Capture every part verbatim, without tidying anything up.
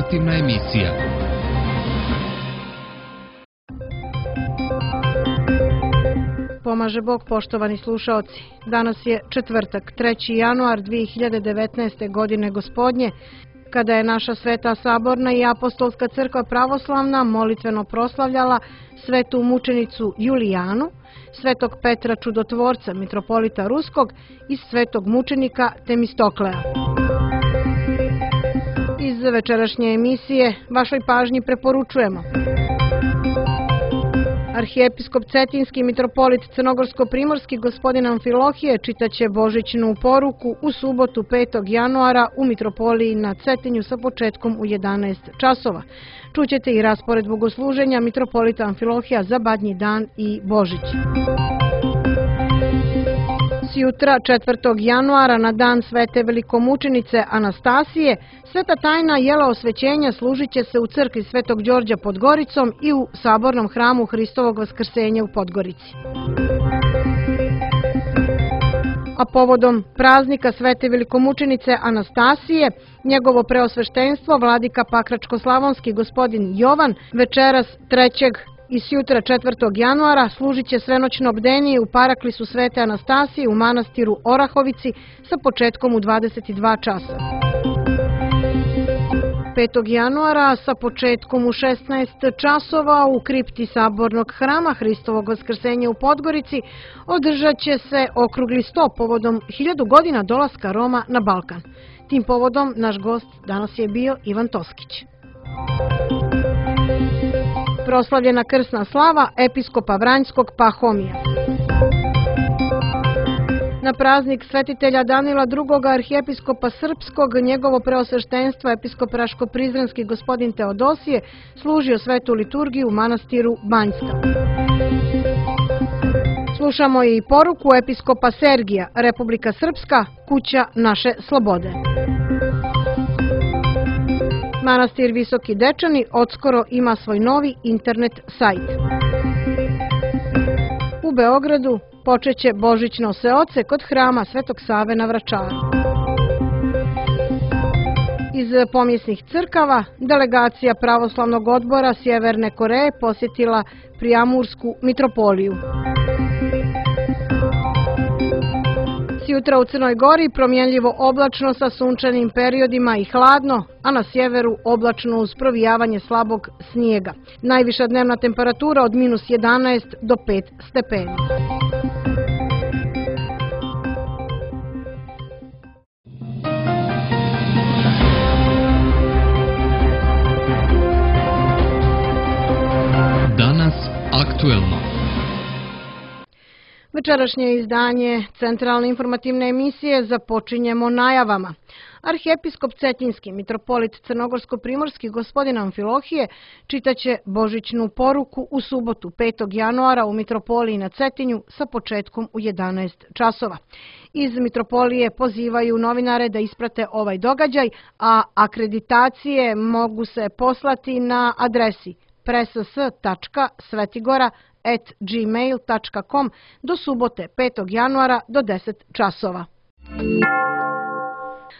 informativna emisija. Pomaže Bog, poštovani slušaoci. Danas je četvrtak, treći januar dve hiljade devetnaeste. godine gospodnje, kada je naša Sveta Saborna i Apostolska crkva pravoslavna molitveno proslavljala svetu mučenicu Julijanu, svetog Petra Čudotvorca, mitropolita Ruskog i svetog mučenika Temistokleja. Iz večerašnje emisije vašoj pažnji preporučujemo: Arhijepiskop Cetinski mitropolit Crnogorsko-primorski gospodin Amfilohije čitaće božićnu poruku u subotu petog januara u mitropoliji na Cetinju sa početkom u jedanaest časova. Čućete i raspored bogosluženja mitropolita Amfilohija za Badnji dan i Božić. Sjutra, četvrtog januara, na dan svete velikomučenice Anastasije, sveta tajna jela osvećenja služit će se u crkvi Svetog Đorđa pod Goricom i u sabornom hramu Hristovog Vaskrsenja u Podgorici. A povodom praznika svete velikomučenice Anastasije, njegovo preosveštenstvo vladika Pakračko-slavonski gospodin Jovan večeras trećeg i sjutra četvrtog januara služit će svenoćno bdenje u paraklisu svete Anastasije u manastiru Orahovici sa početkom u dvadeset dva časa. petog januara sa početkom u šesnaest časova u kripti sabornog hrama Hristovog Vaskrsenja u Podgorici održat će se okrugli sto povodom hiljadu godina dolaska Roma na Balkan. Tim povodom naš gost danas je bio Ivan Toskić. Proslavljena krsna slava episkopa Vranjskog Pahomija. Na praznik svetitelja Danila drugog. arhijepiskopa Srpskog, njegovo preosveštenstvo episkop Raško-Prizrenski gospodin Teodosije služio svetu liturgiju u manastiru Banjska. Slušamo i poruku episkopa Sergija, Republika Srpska, kuća naše slobode. Manastir Visoki Dečani odskoro ima svoj novi internet sajt. U Beogradu počeće božićno seoce kod hrama Svetog Save na Vračaru. Iz pomjesnih crkava delegacija pravoslavnog odbora Sjeverne Koreje posjetila Prijamursku mitropoliju. Sjutra u Crnoj Gori promjenljivo oblačno sa sunčanim periodima i hladno, a na sjeveru oblačno uz provijavanje slabog snijega. Najviša dnevna temperatura od minus jedanaest do pet stepeni. Danas aktuelno. Večerašnje izdanje centralne informativne emisije započinjemo najavama. Arhijepiskop Cetinski mitropolit Crnogorsko-primorski gospodin Amfilohije čitaće božićnu poruku u subotu petog januara u mitropoliji na Cetinju sa početkom u jedanaest časova. Iz mitropolije pozivaju novinare da isprate ovaj događaj, a akreditacije mogu se poslati na adresi press tačka svetigora at gmail tačka com do subote petog januara do deset časova.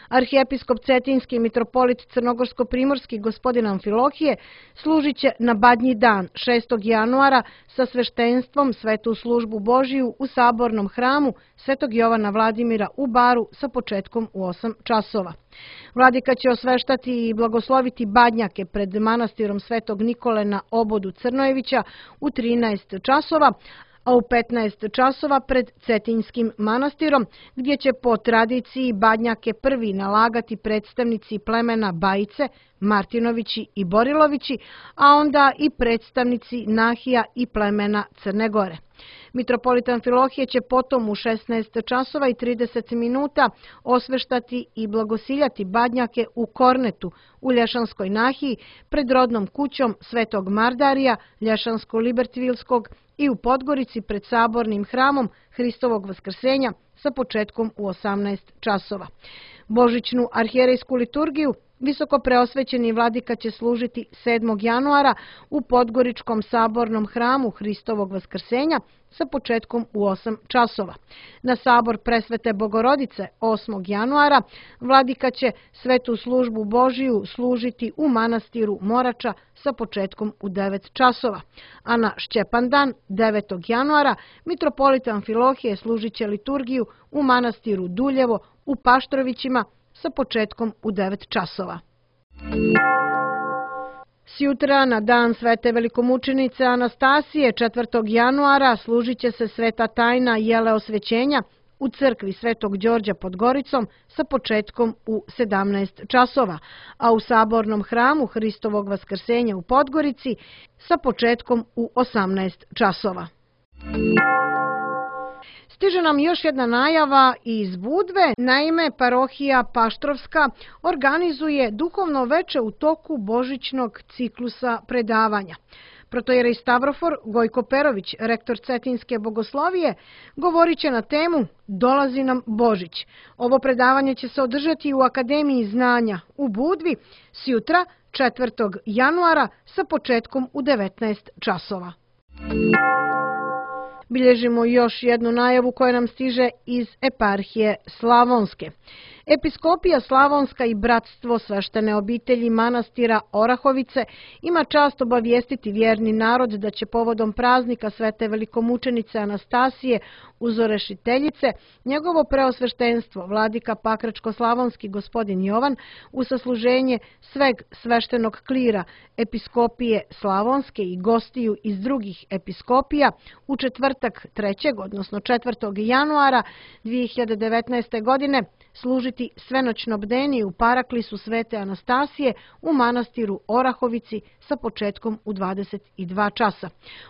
Arhijepiskop Cetinski mitropolit Crnogorsko-primorski gospodin Amfilohije služit će na Badnji dan šestog januara sa sveštenstvom svetu službu Božiju u sabornom hramu Svetog Jovana Vladimira u Baru sa početkom u osam časova. Vladika će osveštati i blagosloviti badnjake pred manastirom Svetog Nikole na obodu Crnojevića u trinaest časova, a u petnaest časova pred Cetinjskim manastirom, gdje će po tradiciji badnjake prvi nalagati predstavnici plemena Bajice, Martinovići i Borilovići, a onda i predstavnici Nahija i plemena Crne Gore. Mitropolit Amfilohije će potom u šesnaest časova i trideset minuta osveštati i blagosiljati badnjake u Kornetu u Lješanskoj Nahiji pred rodnom kućom Svetog Mardarija, Lješansko-Libertvilskog i u Podgorici pred sabornim hramom Hristovog Vaskrsenja sa početkom u osamnaest časova. Božićnu arhijerejsku liturgiju Visokopreosvećeni vladika će služiti sedmog januara u Podgoričkom sabornom hramu Hristovog vaskrsenja sa početkom u osam časova. Na sabor Presvete Bogorodice osmog januara vladika će svetu službu Božiju služiti u manastiru Morača sa početkom u devet časova. A na Šćepandan devetog januara mitropolit Amfilohije služit će liturgiju u manastiru Duljevo u Paštrovićima sa početkom u devet časova. Sjutra na dan Svete velikomučenice Anastasije četvrtog januara služit će se sveta tajna jele osvećenja u crkvi Svetog Đorđa pod Goricom sa početkom u sedamnaest časova, a u sabornom hramu Hristovog vaskrsenja u Podgorici sa početkom u osamnaest časova. Stiže nam još jedna najava iz Budve. Naime, parohija Paštrovska organizuje duhovno veče u toku božićnog ciklusa predavanja. Protojerej Stavrofor Gojko Perović, rektor Cetinske bogoslovije, govorit će na temu Dolazi nam Božić. Ovo predavanje će se održati u Akademiji znanja u Budvi sjutra četvrtog januara sa početkom u devetnaest časova. Bilježimo još jednu najavu koja nam stiže iz eparhije Slavonske. Episkopija Slavonska i Bratstvo sveštene obitelji manastira Orahovice ima čast obavijestiti vjerni narod da će povodom praznika Svete velikomučenice Anastasije Uzorešiteljice njegovo preosveštenstvo vladika Pakračko-slavonski gospodin Jovan u sasluženje sveg sveštenog klira Episkopije Slavonske i gostiju iz drugih episkopija u četvrtak trećeg odnosno četvrtog januara dvije hiljade devetnaeste. godine služiti svenoćno bdenje u paraklisu Svete Anastasije u manastiru Orahovici sa početkom u dvadeset dva časa.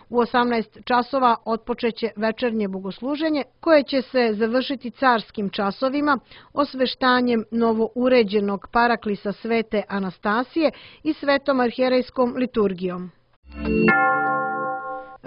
U osamnaest časova otpočeće večernje bogosluženje koje će se završiti carskim časovima, osveštanjem novouređenog paraklisa Svete Anastasije i svetom arhijerejskom liturgijom.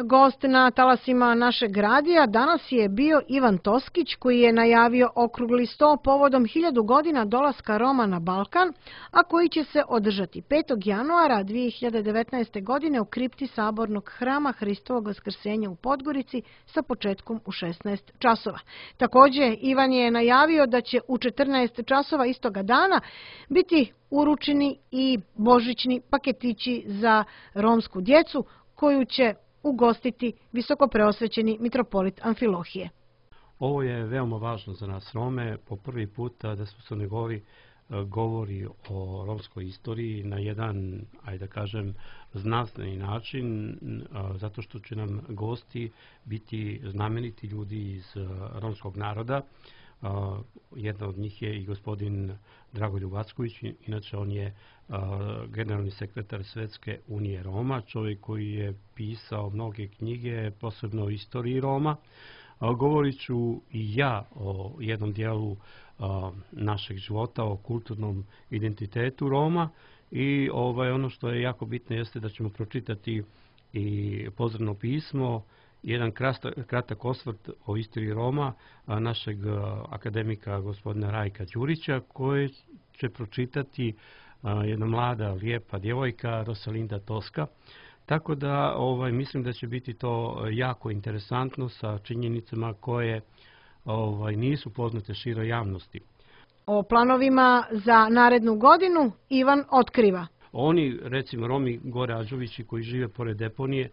Gost na talasima našeg radija danas je bio Ivan Toskić, koji je najavio okrugli sto povodom hiljadu godina dolaska Roma na Balkan, a koji će se održati petog januara dvije hiljade devetnaeste. godine u kripti sabornog hrama Hristovog vaskrsenja u Podgorici sa početkom u šesnaest časova. Također, Ivan je najavio da će u četrnaest časova istoga dana biti uručeni i božićni paketići za romsku djecu koju će ugostiti visokopreosvećeni mitropolit Amfilohije. Ovo je veoma važno za nas Rome. Po prvi puta da smo Crnoj Gori govori o romskoj istoriji na jedan, ajde da kažem, znanstveni način, zato što će nam gosti biti znameniti ljudi iz romskog naroda. Jedna od njih je i gospodin Dragoljub Acković, inače on je generalni sekretar Svetske unije Roma, čovjek koji je pisao mnoge knjige, posebno o istoriji Roma. Govorit ću i ja o jednom dijelu našeg života, o kulturnom identitetu Roma i ovaj, ono što je jako bitno jeste da ćemo pročitati i pozdravno pismo, jedan kratak osvrt o istoriji Roma našeg akademika gospodina Rajka Đurića, koji će pročitati jedna mlada, lijepa djevojka Rosalinda Toska. Tako da ovaj, mislim da će biti to jako interesantno sa činjenicama koje ovaj, nisu poznate široj javnosti. O planovima za narednu godinu Ivan otkriva. Oni, recimo Romi Gore Ađovići koji žive pored deponije,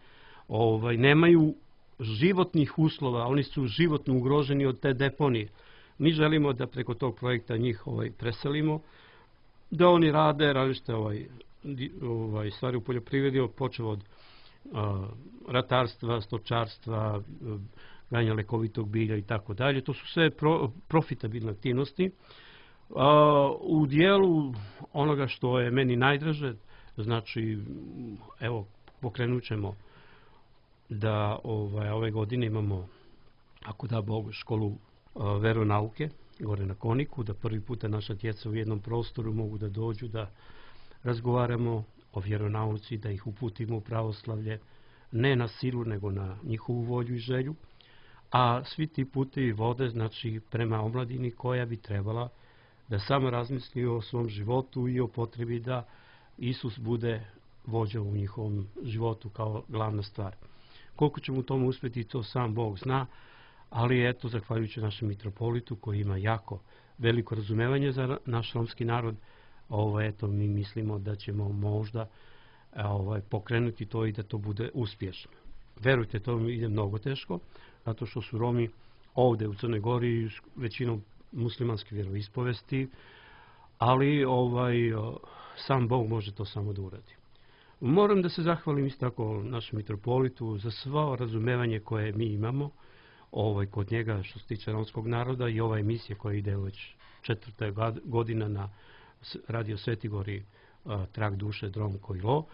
ovaj, nemaju životnih uslova, oni su životno ugroženi od te deponije. Mi želimo da preko tog projekta njih ovaj, preselimo, da oni rade različite ovaj, ovaj, stvari u poljoprivredi, počeo od a, ratarstva, stočarstva, gajanja lekovitog bilja i tako dalje. To su sve pro, profitabilne aktivnosti. A, u dijelu onoga što je meni najdraže, znači, evo, pokrenut ćemo da ovaj, ove godine imamo, ako da Bog, školu a, veronauke gore na Koniku, da prvi puta naša djeca u jednom prostoru mogu da dođu da razgovaramo o vjeronauci, da ih uputimo u pravoslavlje, ne na silu, nego na njihovu volju i želju, a svi ti putevi vode znači prema omladini koja bi trebala da samo razmisli o svom životu i o potrebi da Isus bude vođa u njihovom životu kao glavna stvar. Koliko ćemo u tom uspjeti, to sam Bog zna, ali eto, zahvaljujući našem mitropolitu koji ima jako veliko razumevanje za naš romski narod, ovo, eto, mi mislimo da ćemo možda ovaj, pokrenuti to i da to bude uspješno. Verujte, to mi ide mnogo teško, zato što su Romi ovdje u Crnoj Gori većinom muslimanske vjeroispovesti, ali ovaj, sam Bog može to samo da uradi. Moram da se zahvalim isto tako našem mitropolitu za svo razumevanje koje mi imamo ovaj, kod njega što se tiče romskog naroda i ova emisija koja ide već četvrta godina na radio Sveti Gori, Trag duše, Drom Kojlo.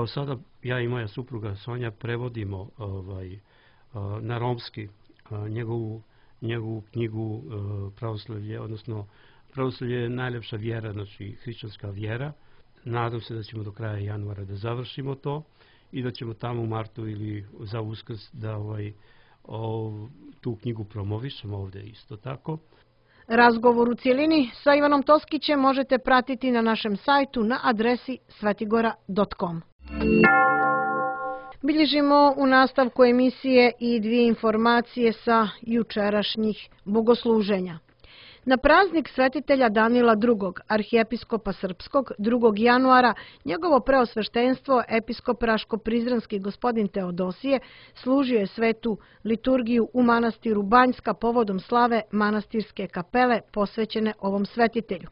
Sada ja i moja supruga Sonja prevodimo ovaj, na romski njegovu, njegovu knjigu Pravoslavlje, odnosno Pravoslavlje je najljepša vjera, znači hrišćanska vjera. Nadam se da ćemo do kraja januara da završimo to i da ćemo tamo u martu ili za Uskrs da ovaj, o, tu knjigu promovišemo ovdje isto tako. Razgovor u cijelini sa Ivanom Toskićem možete pratiti na našem sajtu na adresi svetigora dot com. Bilježimo u nastavku emisije i dvije informacije sa jučerašnjih bogosluženja. Na praznik svetitelja Danila drugog, arhijepiskopa srpskog, drugog januara, njegovo preosveštenstvo, episkop Raško-Prizrenski gospodin Teodosije, služio je svetu liturgiju u manastiru Banjska povodom slave manastirske kapele posvećene ovom svetitelju.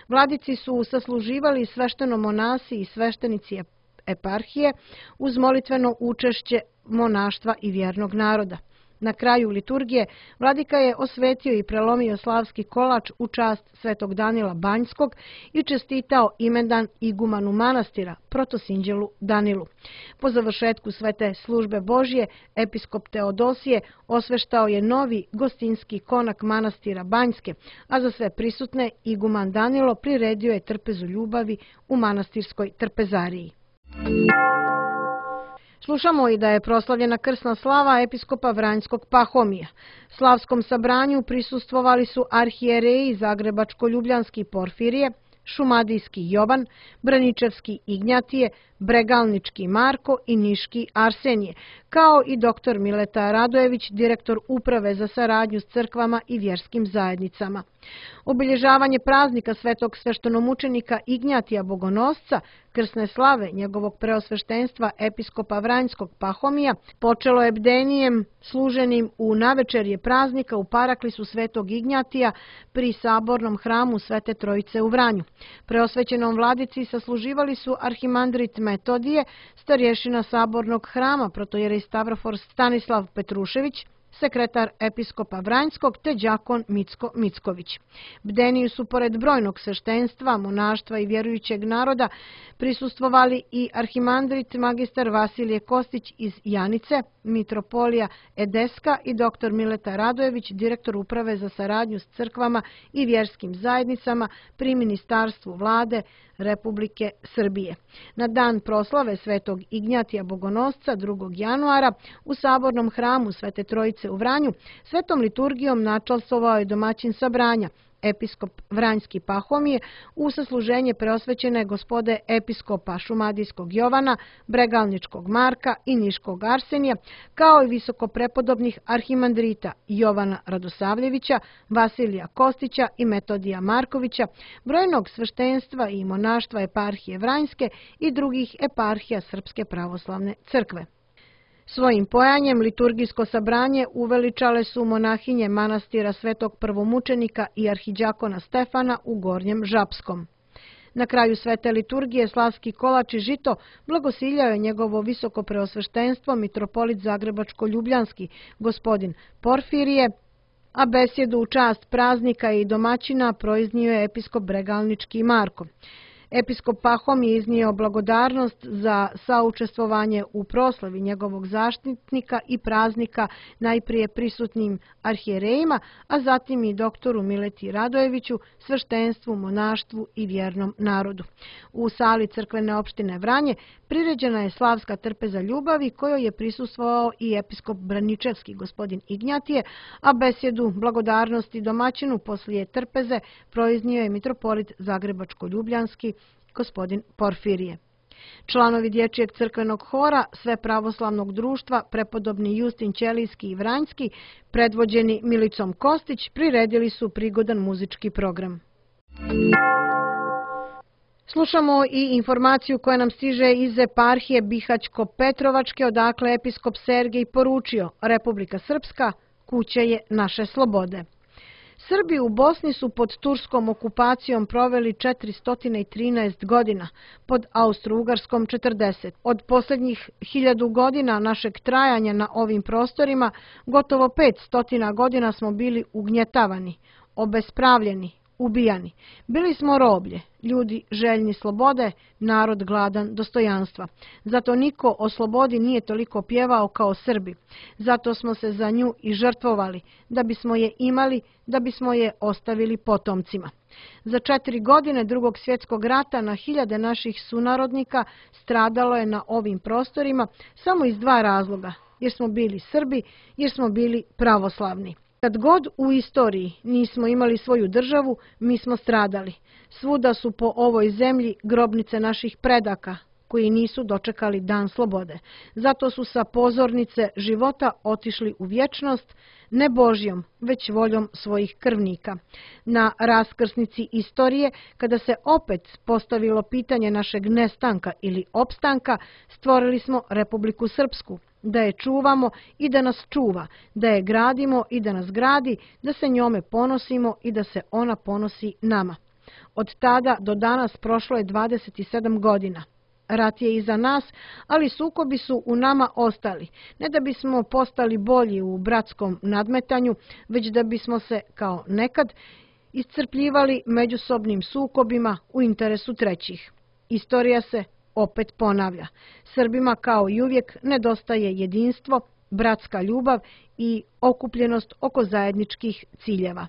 Vladici su sasluživali svešteno-monasi i sveštenici eparhije uz molitveno učešće monaštva i vjernog naroda. Na kraju liturgije vladika je osvetio i prelomio slavski kolač u čast svetog Danila Banjskog i čestitao imendan igumanu manastira, protosinđelu Danilu. Po završetku svete službe Božje, episkop Teodosije osveštao je novi gostinski konak manastira Banjske, a za sve prisutne iguman Danilo priredio je trpezu ljubavi u manastirskoj trpezariji. Slušamo i da je proslavljena krsna slava episkopa Vranjskog Pahomija. Slavskom sabranju prisustvovali su arhijereji Zagrebačko-Ljubljanski Porfirije, Šumadijski Jovan, Braničevski Ignjatije, Bregalnički Marko i Niški Arsenije, kao i doktor Mileta Radojević, direktor Uprave za saradnju s crkvama i vjerskim zajednicama. Obilježavanje praznika svetog sveštenomučenika Ignjatija Bogonosca, krsne slave njegovog preosveštenstva episkopa Vranjskog Pahomija, počelo je bdenijem služenim u navečerje praznika u paraklisu svetog Ignjatija pri sabornom hramu Svete Trojice u Vranju. Preosvećenom vladici sasluživali su arhimandrit Metodije, starješina sabornog hrama, protojerej Stavrofor Stanislav Petrušević, sekretar episkopa Vranjskog te đakon Micko Micković. Bdeniju su pored brojnog sveštenstva, monaštva i vjerujućeg naroda prisustvovali i arhimandrit magistar Vasilije Kostić iz Janice, mitropolija Edeska i doktor Mileta Radojević, direktor Uprave za saradnju s crkvama i vjerskim zajednicama pri Ministarstvu vlade Republike Srbije. Na dan proslave svetog Ignjatija Bogonosca drugog januara u sabornom hramu Svete Trojice u Vranju svetom liturgijom načalstvovao je domaćin sabranja, episkop Vranjski Pahomije, u sasluženje preosvećene gospode episkopa Šumadijskog Jovana, Bregalničkog Marka i Niškog Arsenija, kao i visokoprepodobnih arhimandrita Jovana Radosavljevića, Vasilija Kostića i Metodija Markovića, brojnog sveštenstva i monaštva eparhije Vranjske i drugih eparhija Srpske pravoslavne crkve. Svojim pojanjem liturgijsko sabranje uveličale su monahinje manastira svetog prvomučenika i arhiđakona Stefana u Gornjem Žapskom. Na kraju svete liturgije slavski kolač i žito blagosiljao je njegovo visoko preosveštenstvo mitropolit Zagrebačko-Ljubljanski gospodin Porfirije, a besjedu u čast praznika i domaćina proiznio je episkop Bregalnički Marko. Episkop Pahom je iznio blagodarnost za saučestvovanje u proslavi njegovog zaštitnika i praznika najprije prisutnim arhijerejima, a zatim i doktoru Mileti Radojeviću, sveštenstvu, monaštvu i vjernom narodu. U sali crkvene opštine Vranje priređena je slavska trpeza ljubavi kojoj je prisustvovao i episkop Braničevski gospodin Ignjatije, a besjedu blagodarnosti domaćinu poslije trpeze proiznio je mitropolit Zagrebačko-Ljubljanski gospodin Porfirije. Članovi Dječjeg crkvenog hora Sve pravoslavnog društva prepodobni Justin Ćelijski i Vranjski, predvođeni Milicom Kostić, priredili su prigodan muzički program. Slušamo i informaciju koja nam stiže iz eparhije Bihać-Petrovačke, odakle episkop Sergej poručio: Republika Srpska, kuća je naše slobode. Srbi u Bosni su pod turskom okupacijom proveli četiristo trinaest godina, pod Austro-Ugarskom četrdeset. Od posljednjih hiljadu godina našeg trajanja na ovim prostorima, gotovo petsto godina smo bili ugnjetavani, obespravljeni, ubijani. Bili smo roblje, ljudi željni slobode, narod gladan dostojanstva. Zato niko o slobodi nije toliko pjevao kao Srbi. Zato smo se za nju i žrtvovali, da bismo je imali, da bismo je ostavili potomcima. Za četiri godine Drugog svjetskog rata na hiljade naših sunarodnika stradalo je na ovim prostorima samo iz dva razloga, jer smo bili Srbi, jer smo bili pravoslavni. Kad god u istoriji nismo imali svoju državu, mi smo stradali. Svuda su po ovoj zemlji grobnice naših predaka, koji nisu dočekali dan slobode. Zato su sa pozornice života otišli u vječnost, ne Božjom, već voljom svojih krvnika. Na raskrsnici istorije, kada se opet postavilo pitanje našeg nestanka ili opstanka, stvorili smo Republiku Srpsku, da je čuvamo i da nas čuva, da je gradimo i da nas gradi, da se njome ponosimo i da se ona ponosi nama. Od tada do danas prošlo je dvadeset sedam godina. Rat je iza nas, ali sukobi su u nama ostali. Ne da bismo postali bolji u bratskom nadmetanju, već da bismo se, kao nekad, iscrpljivali međusobnim sukobima u interesu trećih. Istorija se opet ponavlja. Srbima, kao i uvijek, nedostaje jedinstvo, bratska ljubav i okupljenost oko zajedničkih ciljeva.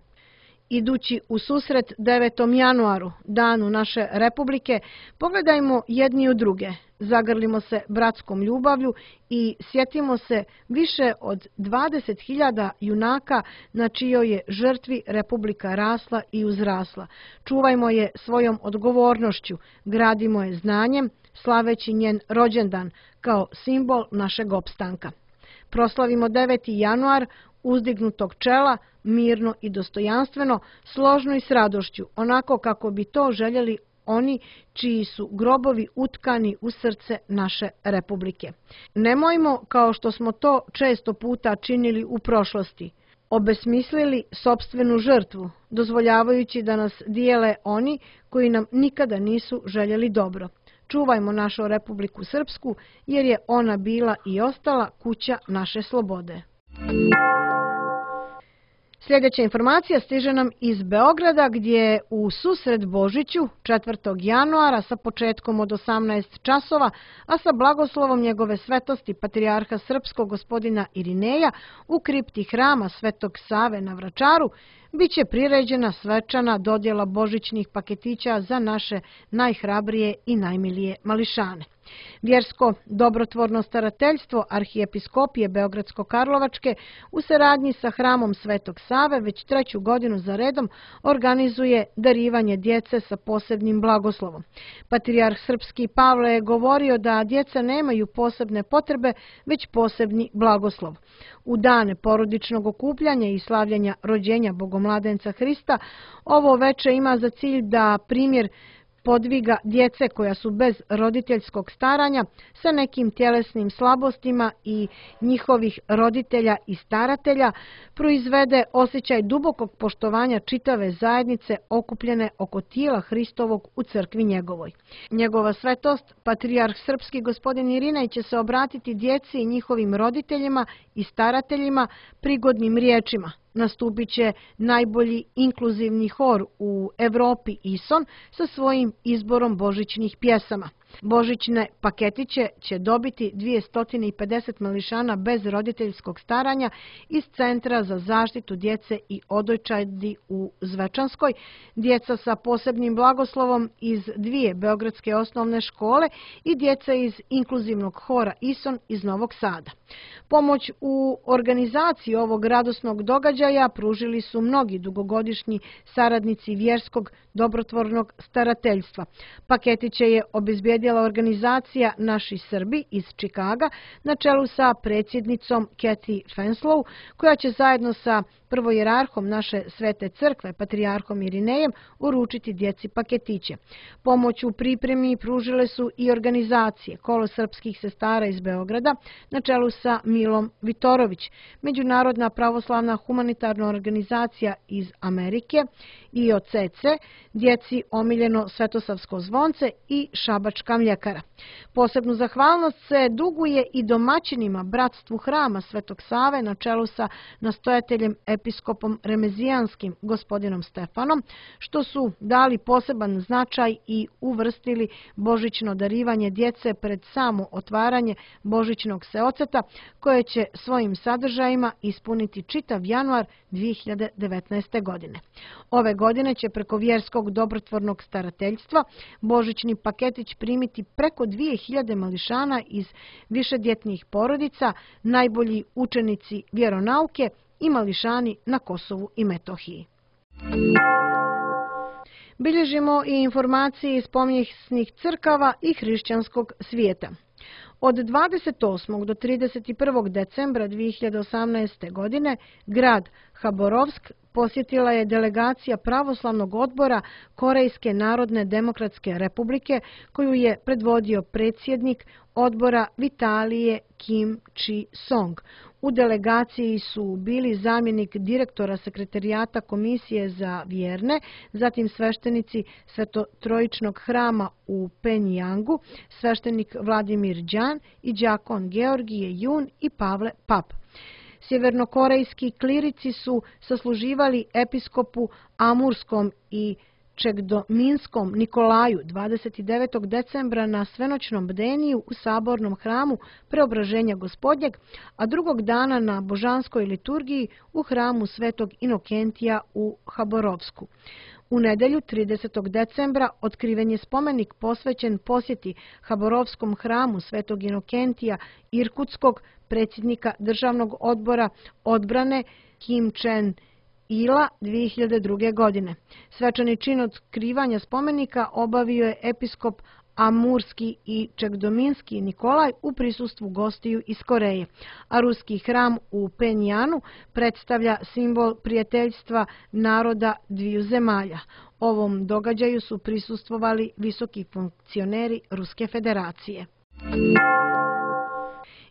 Idući u susret devetom januaru, danu naše Republike, pogledajmo jedni u druge, zagrlimo se bratskom ljubavlju i sjetimo se više od dvadeset hiljada junaka na čijoj je žrtvi Republika rasla i uzrasla. Čuvajmo je svojom odgovornošću, gradimo je znanjem, slaveći njen rođendan kao simbol našeg opstanka. Proslavimo deveti januar uzdignutog čela, mirno i dostojanstveno, složno i s radošću, onako kako bi to željeli oni čiji su grobovi utkani u srce naše Republike. Nemojmo, kao što smo to često puta činili u prošlosti, obesmislili sopstvenu žrtvu, dozvoljavajući da nas dijele oni koji nam nikada nisu željeli dobro. Čuvajmo našu Republiku Srpsku, jer je ona bila i ostala kuća naše slobode. Sljedeća informacija stiže nam iz Beograda, gdje u susret Božiću četvrtog januara sa početkom od osamnaest časova, a sa blagoslovom njegove svetosti patrijarha srpskog gospodina Irineja u kripti hrama Svetog Save na Vračaru, biće priređena svečana dodjela božićnih paketića za naše najhrabrije i najmilije mališane. Vjersko dobrotvorno starateljstvo Arhijepiskopije Beogradsko-Karlovačke u saradnji sa hramom Svetog Save već treću godinu za redom organizuje darivanje djece sa posebnim blagoslovom. Patrijarh srpski Pavle je govorio da djeca nemaju posebne potrebe, već posebni blagoslov. U dane porodičnog okupljanja i slavljanja rođenja Bogomladenca Hrista, ovo veče ima za cilj da primjer podviga djece koja su bez roditeljskog staranja sa nekim tjelesnim slabostima i njihovih roditelja i staratelja proizvede osjećaj dubokog poštovanja čitave zajednice okupljene oko tijela Hristovog u crkvi njegovoj. Njegova svetost, patrijarh srpski gospodin Irinej, će se obratiti djeci i njihovim roditeljima i starateljima prigodnim riječima, nastupit će najbolji inkluzivni hor u Evropi Ison sa svojim izborom božićnih pjesama. Božićne paketiće će dobiti dvjesto pedeset mališana bez roditeljskog staranja iz Centra za zaštitu djece i odojčadi u Zvečanskoj, djeca sa posebnim blagoslovom iz dvije beogradske osnovne škole i djeca iz inkluzivnog hora Ison iz Novog Sada. Pomoć u organizaciji ovog radosnog događaja pružili su mnogi dugogodišnji saradnici vjerskog dobrotvornog starateljstva. Paketiće je obezbijedila organizacija Naši Srbi iz Čikaga na čelu sa predsjednicom Kathy Fenslow, koja će zajedno sa prvojerarhom naše Svete crkve, patrijarhom Irinejem, uručiti djeci paketiće. Pomoć u pripremi pružile su i organizacije Kolo srpskih sestara iz Beograda na čelu sa Milom Vitorović, Međunarodna pravoslavna humanitarna organizacija iz Amerike, I O C C, Djeci omiljeno Svetosavsko zvonce i Šabačka mljekara. Posebnu zahvalnost se duguje i domaćinima Bratstvu hrama Svetog Save na čelu sa nastojateljem episkopom Remezijanskim gospodinom Stefanom, što su dali poseban značaj i uvrstili božićno darivanje djece pred samo otvaranje božićnog seoceta, koje će svojim sadržajima ispuniti čitav januar dvije hiljade devetnaeste. godine. Ove godine će preko vjerskog dobrotvornog starateljstva božićni paketić primiti preko dvije hiljade mališana iz višedjetnih porodica, najbolji učenici vjeronauke i mališani na Kosovu i Metohiji. Bilježimo i informacije iz pomijesnih crkava i hrišćanskog svijeta. Od dvadeset osmog do trideset prvog decembra dvije hiljade osamnaeste. godine grad Haborovsk posjetila je delegacija pravoslavnog odbora Korejske narodne demokratske republike, koju je predvodio predsjednik odbora Vitalije Kim Chi-song. U delegaciji su bili zamjenik direktora sekretarijata Komisije za vjerne, zatim sveštenici Svetotrojičnog hrama u Penjangu, sveštenik Vladimir Đan i đakon Georgije Jun i Pavle Pap. Sjevernokorejski klirici su sasluživali episkopu Amurskom i Čegdominskom Nikolaju dvadeset devetog decembra na svenoćnom bdeniju u sabornom hramu Preobraženja Gospodnjeg, a drugog dana na božanskoj liturgiji u hramu Svetog Inokentija u Haborovsku. U nedelju tridesetog decembra otkriven je spomenik posvećen posjeti Haborovskom hramu Svetog Inokentija Irkutskog, predsjednika državnog odbora odbrane Kim Čen Ila dvije hiljade druge. godine. Svečani čin otkrivanja spomenika obavio je episkop Amurski i Čegdominski Nikolaj u prisustvu gostiju iz Koreje, a ruski hram u Penjanu predstavlja simbol prijateljstva naroda dviju zemalja. Ovom događaju su prisustvovali visoki funkcioneri Ruske federacije.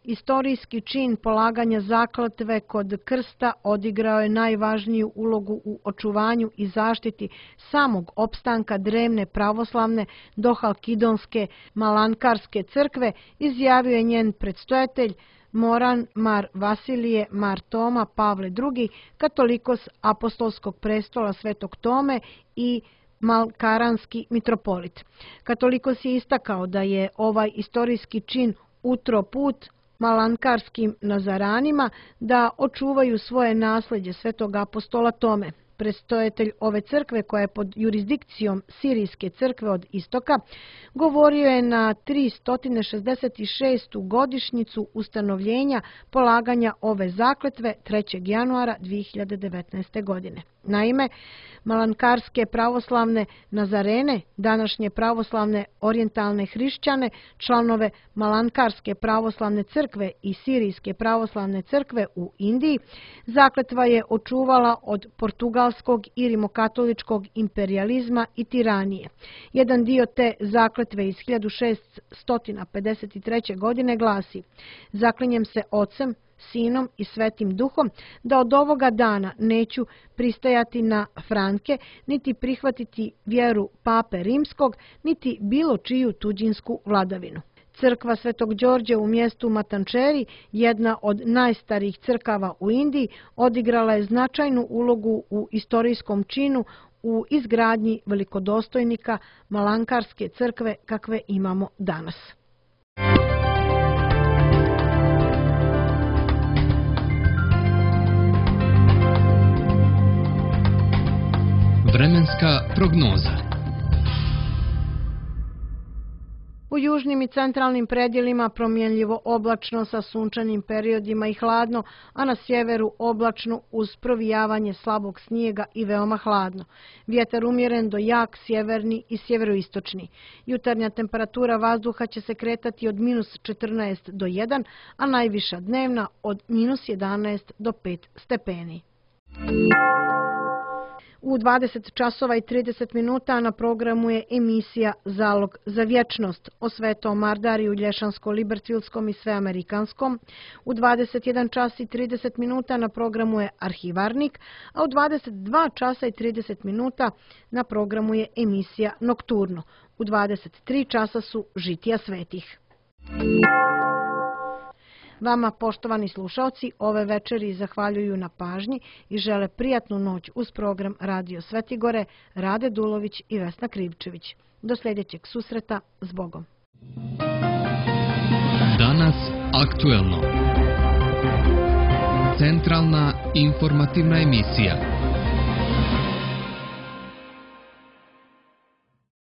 Istorijski čin polaganja zakletve kod krsta odigrao je najvažniju ulogu u očuvanju i zaštiti samog opstanka drevne pravoslavne dohalkidonske malankarske crkve, izjavio je njen predstojatelj Moran Mar Vasilije Mar Toma Pavle drugi, katolikos apostolskog prestola Svetog Tome i malkaranski mitropolit. Katolikos je istakao da je ovaj istorijski čin utro put malankarskim nazaranima da očuvaju svoje nasljeđe Svetog apostola Tome. Predstojatelj ove crkve, koja je pod jurisdikcijom Sirijske crkve od istoka, govorio je na tristo šezdeset šestu godišnjicu ustanovljenja polaganja ove zakletve trećeg januara dvije hiljade devetnaeste. godine. Naime, malankarske pravoslavne nazarene, današnje pravoslavne orijentalne hrišćane, članove Malankarske pravoslavne crkve i Sirijske pravoslavne crkve u Indiji, zakletva je očuvala od portugalskog i rimokatoličkog imperijalizma i tiranije. Jedan dio te zakletve iz hiljadu šeststo pedeset treće. godine glasi: zaklinjem se Ocem, Sinom i Svetim Duhom da od ovoga dana neću pristajati na franke, niti prihvatiti vjeru Pape Rimskog, niti bilo čiju tuđinsku vladavinu. Crkva Svetog Đorđe u mjestu Matančeri, jedna od najstarijih crkava u Indiji, odigrala je značajnu ulogu u istorijskom činu u izgradnji velikodostojnika Malankarske crkve kakve imamo danas. Vremenska prognoza. U južnim i centralnim predjelima promjenljivo oblačno sa sunčanim periodima i hladno, a na sjeveru oblačno uz provijavanje slabog snijega i veoma hladno. Vjetar umjeren do jak sjeverni i sjeveroistočni. Jutarnja temperatura vazduha će se kretati od minus četrnaest do jedan, a najviša dnevna od minus jedanaest do pet stepeni. U dvadeset časova i trideset minuta na programu je emisija Zalog za vječnost o Svetom Mardariju, Lješansko-Libertvilskom i Sveamerikanskom. U dvadeset jedan čas i trideset minuta na programu je Arhivarnik, a u dvadeset dva časa i trideset minuta na programu je emisija Nokturno. U dvadeset tri časa su Žitija svetih. Vama, poštovani slušalci, ove večeri zahvaljuju na pažnji i žele prijatnu noć uz program Radio Svetigore, Rade Dulović i Vesna Krivčević. Do sljedećeg susreta, s Bogom. Danas aktuelno. Centralna informativna emisija.